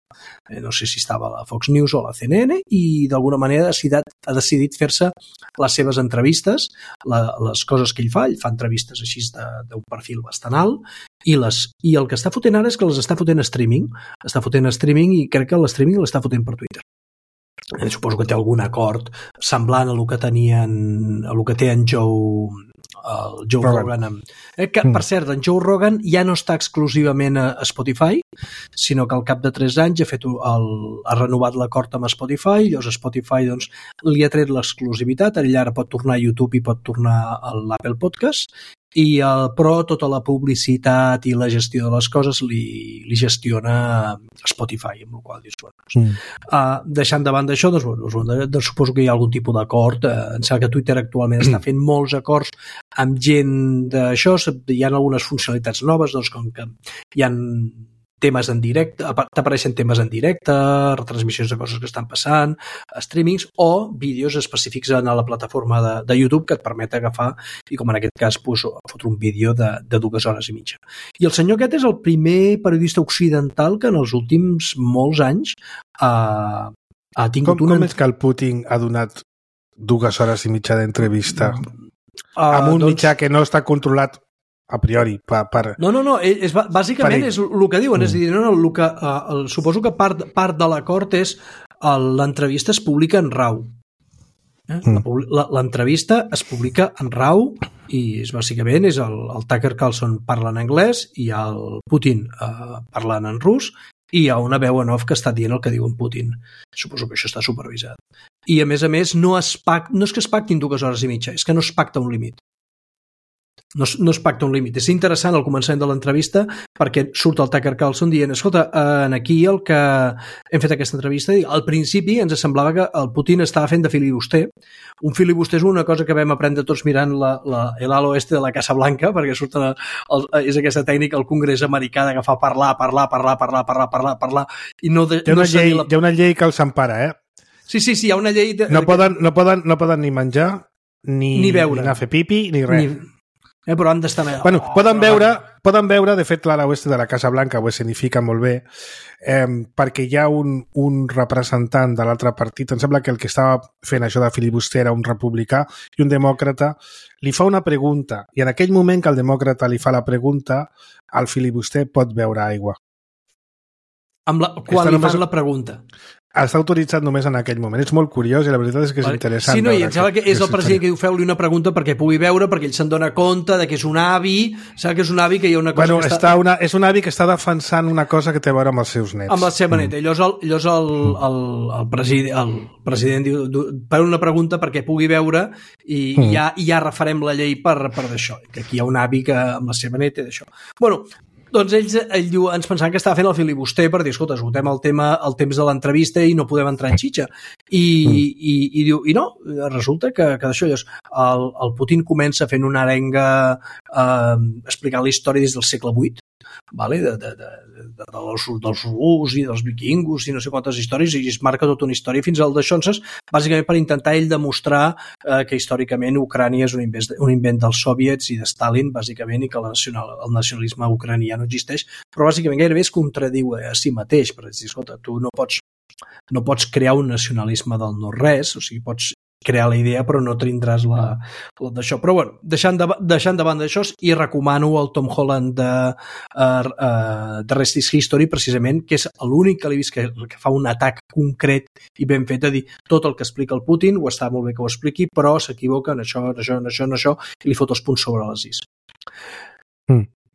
no sé si estava a la Fox News o a la CNN i d'alguna manera ha decidit fer-se les seves entrevistes, les coses que ell fa entrevistes així d'un perfil bastant alt i el que està fotent ara és que les està fotent streaming i crec que l'streaming l'està fotent per Twitter. Suposo que té algun acord semblant a el que té en Joe Rogan. Que, per cert, en Joe Rogan ja no està exclusivament a Spotify, sinó que al cap de 3 anys ha renovat l'acord amb Spotify, llavors Spotify doncs, li ha tret l'exclusivitat, ell ara pot tornar a YouTube i pot tornar a l'Apple Podcast, però tota la publicitat i la gestió de les coses li gestiona Spotify, amb la qual dius, deixant de banda això, doncs, suposo que hi ha algun tipus d'acord. Em sembla que Twitter actualment està fent molts acords amb gent d'això, hi ha algunes funcionalitats noves, doncs com que hi ha temes en directe, t'apareixen temes en directe, retransmissions de coses que estan passant, streamings o vídeos específics a la plataforma de YouTube que et permet agafar i, com en aquest cas, fotre un vídeo de 2 hores i mitja. I el senyor aquest és el primer periodista occidental que en els últims molts anys ha tingut Com és que el Putin ha donat 2 hores i mitja d'entrevista amb un mitjà que no està controlat a priori No, bàsicament és el que diuen, és a dir, suposo que part de l'acord és l'entrevista es publica en RAW. L'entrevista es publica en RAW i bàsicament és el Tucker Carlson parla en anglès i el Putin parlant en rus i hi ha una veu en off que està dient el que diu en Putin. Suposo que això està supervisat. I a més, no és que es pactin 2 hores i mitja, és que no es pacta un límit. No es pacta un límit. És interessant al començament de l'entrevista perquè surt el Tucker Carlson dient, escolta, aquí el que hem fet aquesta entrevista, al principi ens semblava que el Putin estava fent de filibuster. Un filibuster és una cosa que vam aprendre tots mirant el Halo de la Casa Blanca, perquè surt és aquesta tècnica al Congrés americà d'agafar parlar i no hi ha una llei que els empara, Sí, hi ha una llei no poden ni menjar ni beure, ni anar a fer pipi ni res. Però han d'estar... Poden veure, de fet, l'ala oeste de la Casa Blanca ho escenifica molt bé, perquè hi ha un representant de l'altre partit, em sembla que el que estava fent això de filibuster era un republicà i un demòcrata, li fa una pregunta, i en aquell moment que el demòcrata li fa la pregunta, el filibuster pot beure aigua. Quan li fan la pregunta? està autoritzat només en aquell moment. És molt curiós i la veritat és que és interessant. Sí, no, i em sembla que és el president que diu feu-li una pregunta perquè pugui veure, perquè ell se'n dona compte de que és un avi, sap que és un avi que hi ha una cosa que està... És un avi que està defensant una cosa que té a veure amb els seus nets. Amb la seva neta. Llavors el president diu per una pregunta perquè pugui veure i ja refarem la llei per d'això, que aquí hi ha un avi que amb la seva neta i d'això. Bueno, doncs ell diu, ens pensaven que estava fent el filibuster per dir, escolta, esgotem el temps de l'entrevista i no podem entrar en xitxa. I diu, i no, resulta que d'això, el Putin comença fent una arenga explicant la història des del segle VIII, vale? dels rus i dels vikingos i no sé quantes històries, i es marca tota una història fins al Deixonses, bàsicament per intentar ell demostrar que històricament Ucrània és un invent dels soviets i de Stalin, bàsicament, i que el nacionalisme ucranià no existeix, però bàsicament gairebé es contradiu a si mateix, per dir, escolta, tu no pots crear un nacionalisme del no-res, o sigui, pots crear la idea però no tindràs d'això. Però bueno, deixant de banda d'això, i recomano el Tom Holland de Rest is History, precisament, que és l'únic que l'he vist que fa un atac concret i ben fet a dir tot el que explica el Putin, ho està molt bé que ho expliqui, però s'equivoca en això, i li fot els punts sobre les is.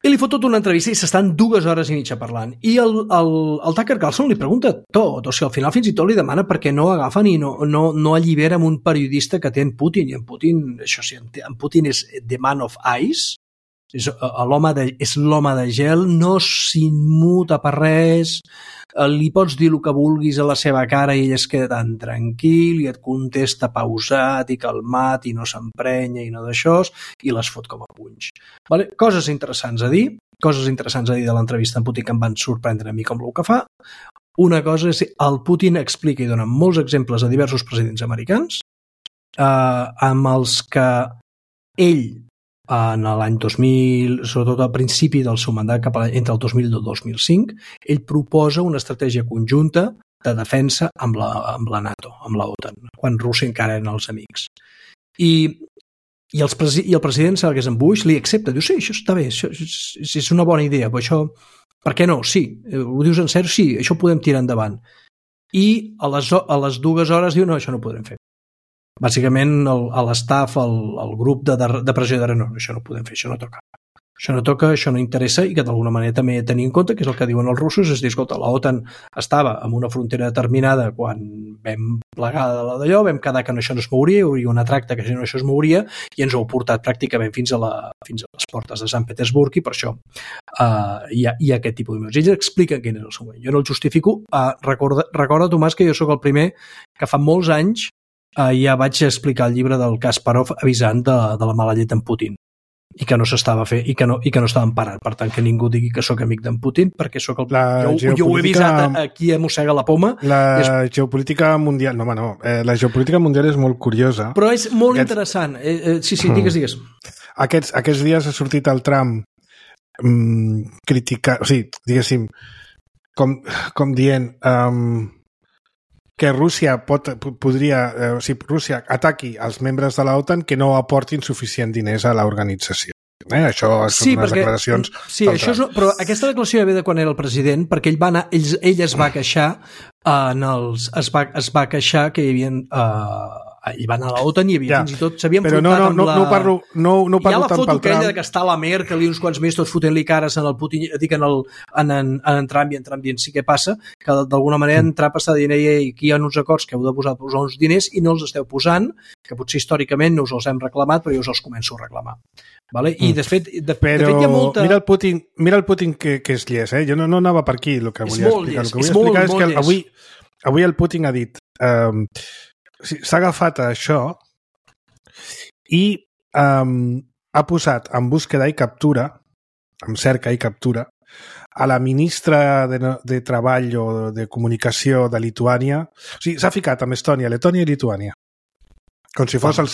I li fot tota una entrevista i s'estan 2 hores i mitja parlant. I el Tucker Carlson li pregunta tot, o sigui, al final fins i tot li demana per què no agafen i no allibera amb un periodista que té en Putin, i en Putin, això sí, en Putin és the man of ice, és l'home de gel, no s'immuta per res, li pots dir el que vulguis a la seva cara i ell es queda tan tranquil i et contesta pausat i calmat i no s'emprenya i no d'això, i les fot com a punys. Vale? Coses interessants a dir de l'entrevista amb Putin que em van sorprendre a mi com el que fa. Una cosa és el Putin explica i dona molts exemples a diversos presidents americans amb els que ell en l'any 2000, sobretot al principi del seu mandat, entre el 2000 i el 2005, ell proposa una estratègia conjunta de defensa amb la NATO, amb la OTAN, quan Rússia encara eren els amics. I el president, sembla que és en Bush, li accepta, diu, sí, això està bé, això és una bona idea, però això, per què no? Sí, ho dius en sèrio? Sí, això ho podem tirar endavant. I a les 2 hores diu, no, això no ho podrem fer. Bàsicament, a l'estaf, el grup de pressió de no, això no ho podem fer, això no toca, això no interessa, i que d'alguna manera també tenir en compte, que és el que diuen els russos, és dir, escolta, la OTAN estava en una frontera determinada quan vam plegar d'allò, vam quedar que això no es mouria, hi hauria una tracta que això es mouria, i ens ho ha portat pràcticament fins a les portes de Sant Petersburg, i per això hi ha aquest tipus d'imatges. Ells expliquen quin és el seu moment. Jo no el justifico. Recorda, Tomàs, que jo sóc el primer que fa molts anys ja vaig explicar el llibre del Kasparov avisant de la mala llet d'en Putin i que no s'estava fent i que no estaven parant. Per tant, que ningú digui que sóc amic d'en Putin, perquè sóc jo ho he avisat a qui mossega la poma. Geopolítica mundial... No, la geopolítica mundial és molt curiosa. Però és molt interessant. Sí, digues. Aquests dies ha sortit el Trump criticar... O sigui, diguéssim, com dient... que Rússia Rússia ataqui els membres de l'OTAN que no aportin suficient diners a l'organització. Això són unes declaracions... Sí, però aquesta declaració ve de quan era el president, perquè ell es va queixar es va queixar que hi havia... ell va anar a l'OTAN i fins i tot s'havien enfrontat amb la... No parlo tant pel Trump. Hi ha la foto aquella que està a la Merkel i uns quants més tots fotent-li cares en el Putin, dic en en Trump, i en Trump dient sí què passa, que d'alguna manera en Trump està dient aquí hi ha uns acords que heu de posar uns diners i no els esteu posant, que potser històricament no us els hem reclamat, però jo us els començo a reclamar. Vale? I de fet hi ha molta... Mira el Putin que és llest, jo no anava per aquí el que volia explicar. El que volia explicar és que avui el Putin ha dit... s'ha agafat a això i ha posat en búsqueda i captura, en cerca i captura, a la ministra de Treball o de Comunicació de Lituània. O sigui, s'ha ficat amb Estònia, Letònia i Lituània, com si fos el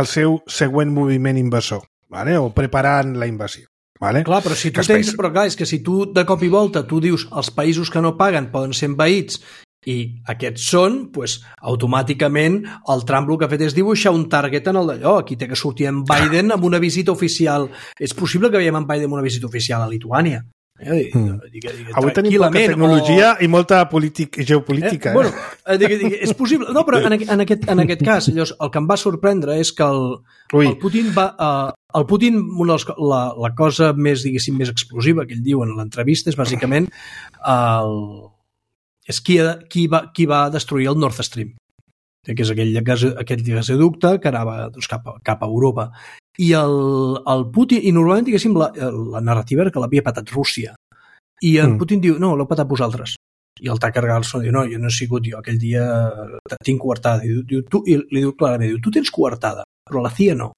seu següent moviment invasor, vale? O preparant la invasió. Vale? Clar, però és que si tu de cop i volta tu dius els països que no paguen poden ser envaïts i aquests són, doncs, automàticament el Trump el que ha fet és dibuixar un target en el d'allò. Aquí té que sortir en Biden amb una visita oficial. És possible que veiem en Biden amb una visita oficial a Lituània. Avui tenim poca tecnologia i molta geopolítica. Bueno, és possible. No, però en aquest cas, llavors, el que em va sorprendre és que el Putin va... El Putin, la cosa més, diguéssim, més explosiva que ell diu en l'entrevista és bàsicament qui va destruir el Nord Stream, que és aquell gasoducte que anava cap a Europa. I el Putin, i normalment, diguéssim, la narrativa era que l'havia patat Rússia. I el Putin diu, no, l'heu patat vosaltres. I el Tucker Carlson diu, no, jo no he sigut jo, aquell dia tinc coartada. I li diu clarament, tu tens coartada, però la CIA no.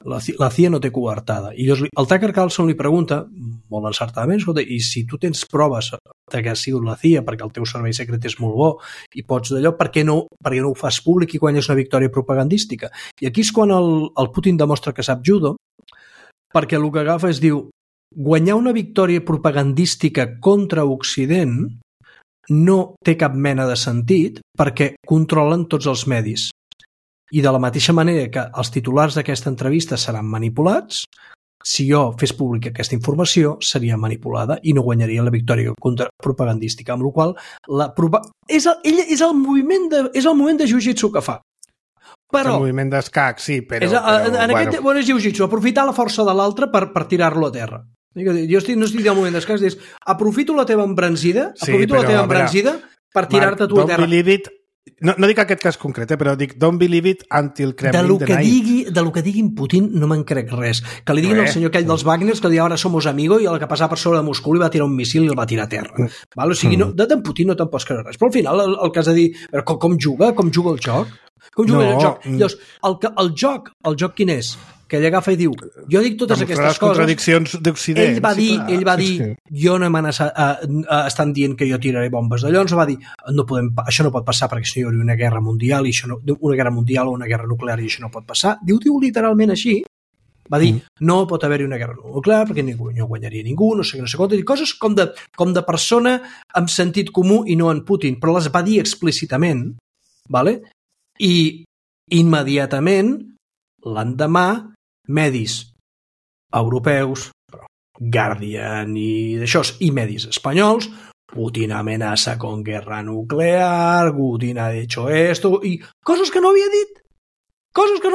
La CIA no té coartada. I el Tucker Carlson li pregunta, molt encertadament, escolta, i si tu tens proves que ha sigut la CIA perquè el teu servei secret és molt bo i pots d'allò, per què no ho fas públic i guanyes una victòria propagandística? I aquí és quan el Putin demostra que sap judo, perquè el que agafa és diu, guanyar una victòria propagandística contra Occident no té cap mena de sentit perquè controlen tots els medis. I de la mateixa manera que els titulars d'aquesta entrevista seran manipulats, si jo fes pública aquesta informació seria manipulada i no guanyaria la victòria propagandística, amb la qual és el moviment de jiu-jitsu que fa. Però, el moviment d'escac, sí, però... Aquest és jiu-jitsu, aprofitar la força de l'altre per tirar-lo a terra. Jo no estic al moviment d'escac, és aprofito la teva embranzida, per tirar-te tu a terra. No dic aquest cas concret, però dic don't believe it until Kremlin denied. De lo que diguin Putin no me'n crec res. Que li diguin al senyor aquell dels Wagners que ara somos amigos i el que passava per sobre de Moscou li va tirar un missil i el va tirar a terra. O sigui, d'en Putin no te'n pots creure res. Però al final el que has de dir, com juga el joc? Com juga el joc? Llavors, el joc quin és? Que ell agafa i diu, jo dic totes aquestes coses... Les contradiccions d'Occident. Ell va dir, jo no hem estan dient que jo tiraré bombes d'allò, ens va dir, això no pot passar perquè si no hi hauria una guerra mundial, una guerra mundial o una guerra nuclear i això no pot passar. Diu literalment així, va dir, no pot haver-hi una guerra nuclear perquè no guanyaria ningú, no sé què, coses com de persona amb sentit comú i no en Putin, però les va dir explícitament, i immediatament, l'endemà, medis europeus, Guardian i medis espanyols, Putin amenaça con guerra nuclear, Putin ha hecho esto, i coses que no havia dit. Coses que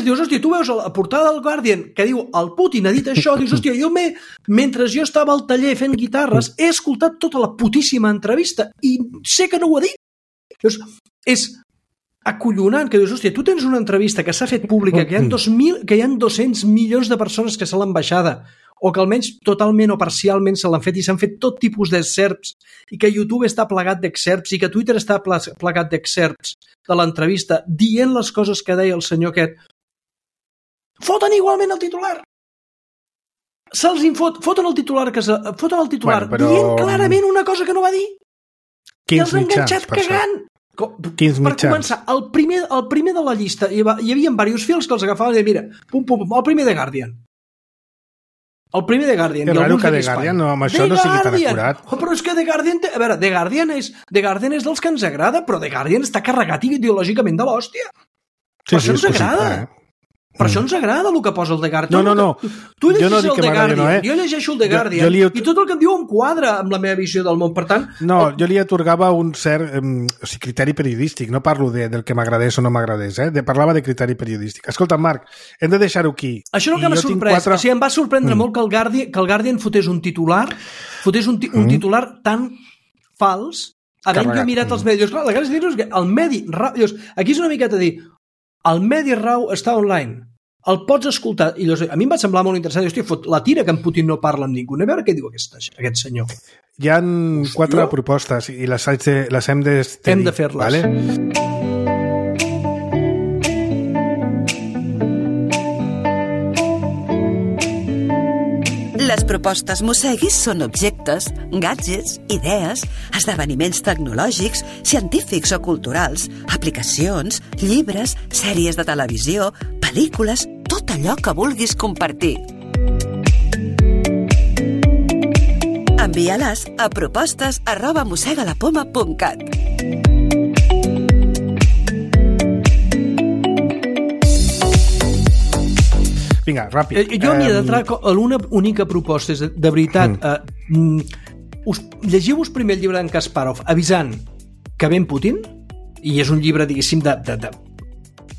dius, hòstia, tu veus la portada del Guardian que diu, el Putin ha dit això, dius, hòstia, mentre jo estava al taller fent guitarres, he escoltat tota la putíssima entrevista i sé que no ho ha dit. Llavors, és acollonant, que dius, hòstia, tu tens una entrevista que s'ha fet pública, que hi ha 200 milions de persones que se l'han baixada, o que almenys totalment o parcialment se l'han fet i s'han fet tot tipus d'excerpts, i que YouTube està plagat d'excerpts, i que Twitter està plagat d'excerpts de l'entrevista, dient les coses que deia el senyor aquest. Foten igualment el titular! Foten el titular, dient clarament una cosa que no va dir, i els han enganxat cagant! Per començar, el primer de la llista hi havia diversos fils que els agafaven i mira, pum, el primer de Guardian. El primer de Guardian. És raro que The Guardian amb això no sigui tan acurat. Però és que The Guardian... A veure, The Guardian és dels que ens agrada, però The Guardian està carregat ideològicament de l'hòstia. Per això ens agrada. Per això ens agrada el que posa el The Guardian. No. Tu llegeixes el The Guardian, jo llegeixo el The Guardian, i tot el que em diu em quadra amb la meva visió del món. Per tant... No, jo li atorgava un cert criteri periodístic. No parlo del que m'agradés o no m'agradés. Parlava de criteri periodístic. Escolta, Marc, hem de deixar-ho aquí. Això és el que m'ha sorprès. O sigui, em va sorprendre molt que el Guardian fotés un titular tan fals, havent jo mirat els medis. Clar, la gràcia és que el medi... Aquí és una miqueta dir... El medi rau està online. El pots escoltar. I a mi em va semblar molt interessant. Hòstia, la tira que en Putin no parla amb ningú. A veure què diu aquest senyor. Hi ha 4 propostes i les hem de... Hem de fer-les. Vale? Les propostes Mosseguis són objectes, gadgets, idees, esdeveniments tecnològics, científics o culturals, aplicacions, llibres, sèries de televisió, pel·lícules, tot allò que vulguis compartir. Envia-les a propostes@mossegalapoma.cat. Vinga, ràpid. Jo m'hi he d'entrar a una única proposta, és de veritat, llegiu-vos primer el llibre d'en Kasparov avisant que ven Putin, i és un llibre, diguéssim, de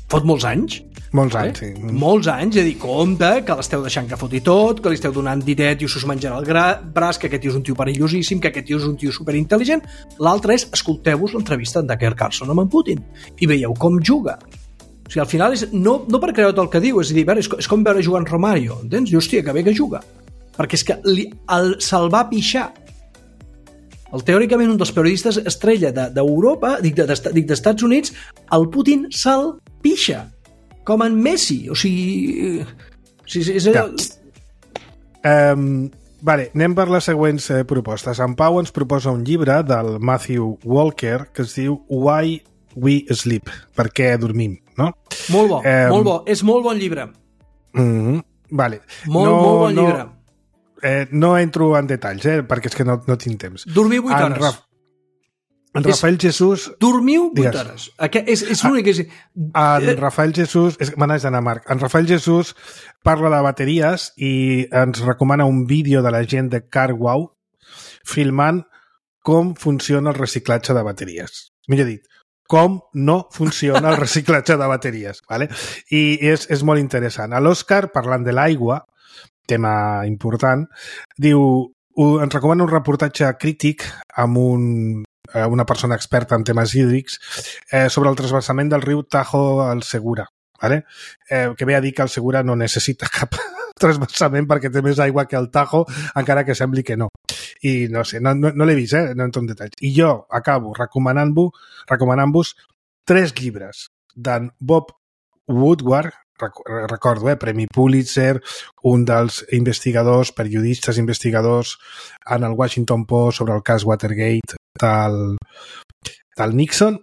fot molts anys. Molts anys, sí. Molts anys, és a dir, compte, que l'esteu deixant que foti tot, que li esteu donant diret i us menjarà el braç, que aquest tio és un tio perillosíssim, que aquest tio és un tio superintel·ligent. L'altre és, escolteu-vos l'entrevista d'en Tucker Carlson amb en Putin i veieu com juga. O sigui, al final és no per creure el que diu, és a dir, és com veure jugar en Romario, entens? I hòstia, que bé que juga. Perquè és que se'l va pixar. Teòricament un dels periodistes estrella d'Europa, dic d'Estats Units, el Putin se'l pixa. Com en Messi. O sigui... és allò... Vale, anem per les següents propostes. En Pau ens proposa un llibre del Matthew Walker que es diu Why We Sleep, per què dormim, no? Molt bo, molt bo. És molt bon llibre. Vale. Molt bon llibre. No entro en detalls, perquè és que no tinc temps. Dormiu 8 hores. En Rafael Jesús... Dormiu 8 hores. És l'únic... En Rafael Jesús... Me n'haig d'anar, Marc. En Rafael Jesús parla de bateries i ens recomana un vídeo de la gent de CarWow filmant com funciona el reciclatge de bateries. Millor dit, com no funciona el reciclatge de bateries. ¿vale? I és molt interessant. A l'Òscar, parlant de l'aigua, tema important, diu, ens recomana un reportatge crític amb una persona experta en temes hídrics sobre el transvasament del riu Tajo al Segura, ¿vale? Que ve a dir que el Segura no necessita cap transvasament perquè té més aigua que el Tajo, encara que sembli que no. I no sé, no l'he vist, no entro en detalls. I jo acabo recomanant-vos 3 llibres d'en Bob Woodward, recordo, Premi Pulitzer, un dels periodistes investigadors en el Washington Post sobre el cas Watergate del Nixon,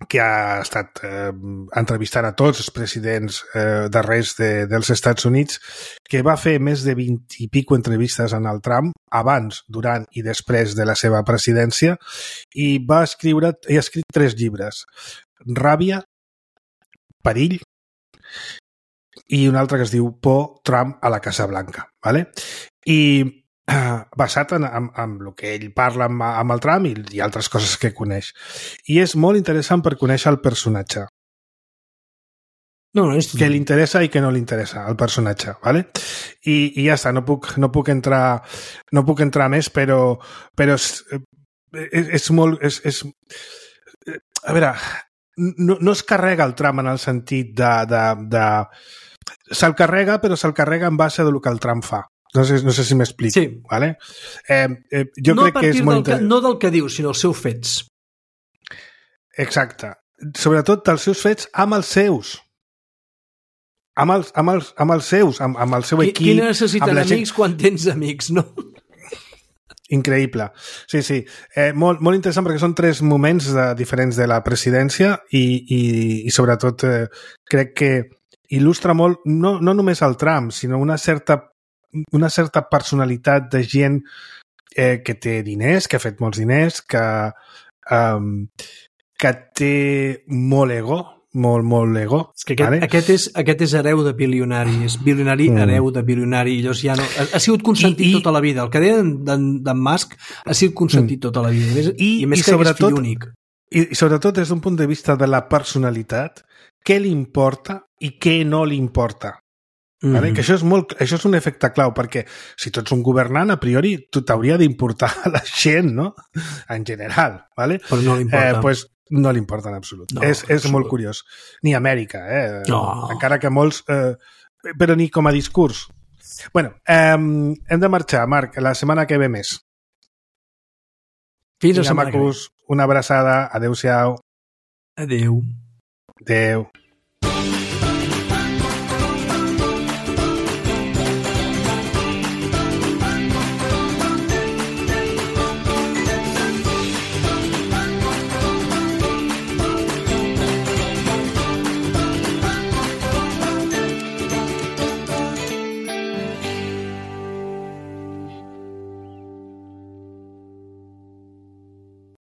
que ha estat entrevistant a tots els presidents darrers dels Estats Units, que va fer més de 20 i pico entrevistes en el Trump, abans, durant i després de la seva presidència, i ha escrit 3 llibres. Ràbia, Perill, i un altre que es diu Por, Trump a la Casa Blanca. ¿vale? I basat en el que ell parla amb el Trump i altres coses que coneix. I és molt interessant per conèixer el personatge. Que li interessa i que no li interessa, el personatge. ¿vale? I ja està, no puc entrar més, però és molt... a veure... No es carrega el Trump en el sentit de se'l carrega, però se'l carrega en base del que el Trump fa. No sé si m'explico. Sí. ¿vale? Jo crec que és molt no del que diu, sinó els seus fets. Exacte. Sobretot dels seus fets amb els seus. Amb els seus, amb el seu equip. Qui necessiten amics quan tens amics, no? Increïble. Sí. Molt interessant perquè són 3 moments diferents de la presidència i sobretot crec que il·lustra molt no només el Trump, sinó una certa personalitat de gent que té diners, que ha fet molts diners, que té molt ego, molt ego. És que aquest és hereu de bilionari, és bilionari hereu de bilionari, i llavors ja no... Ha sigut consentit tota la vida. El que deia d'en Musk ha sigut consentit tota la vida. I més que és fill únic. I sobretot des d'un punt de vista de la personalitat, què li importa i què no li importa. Vale? Que això és un efecte clau, perquè si tu ets un governant, a priori t'hauria d'importar la gent, no? En general. Vale? Però no li importa. Pues, no li importa en absolut. No, és molt curiós. Ni Amèrica, No. Encara que molts... però ni com a discurs. Bueno, hem de marxar, Marc, la setmana que ve més. Fins la setmana que ve. Una abraçada. Adéu-siau. Adéu. Adéu.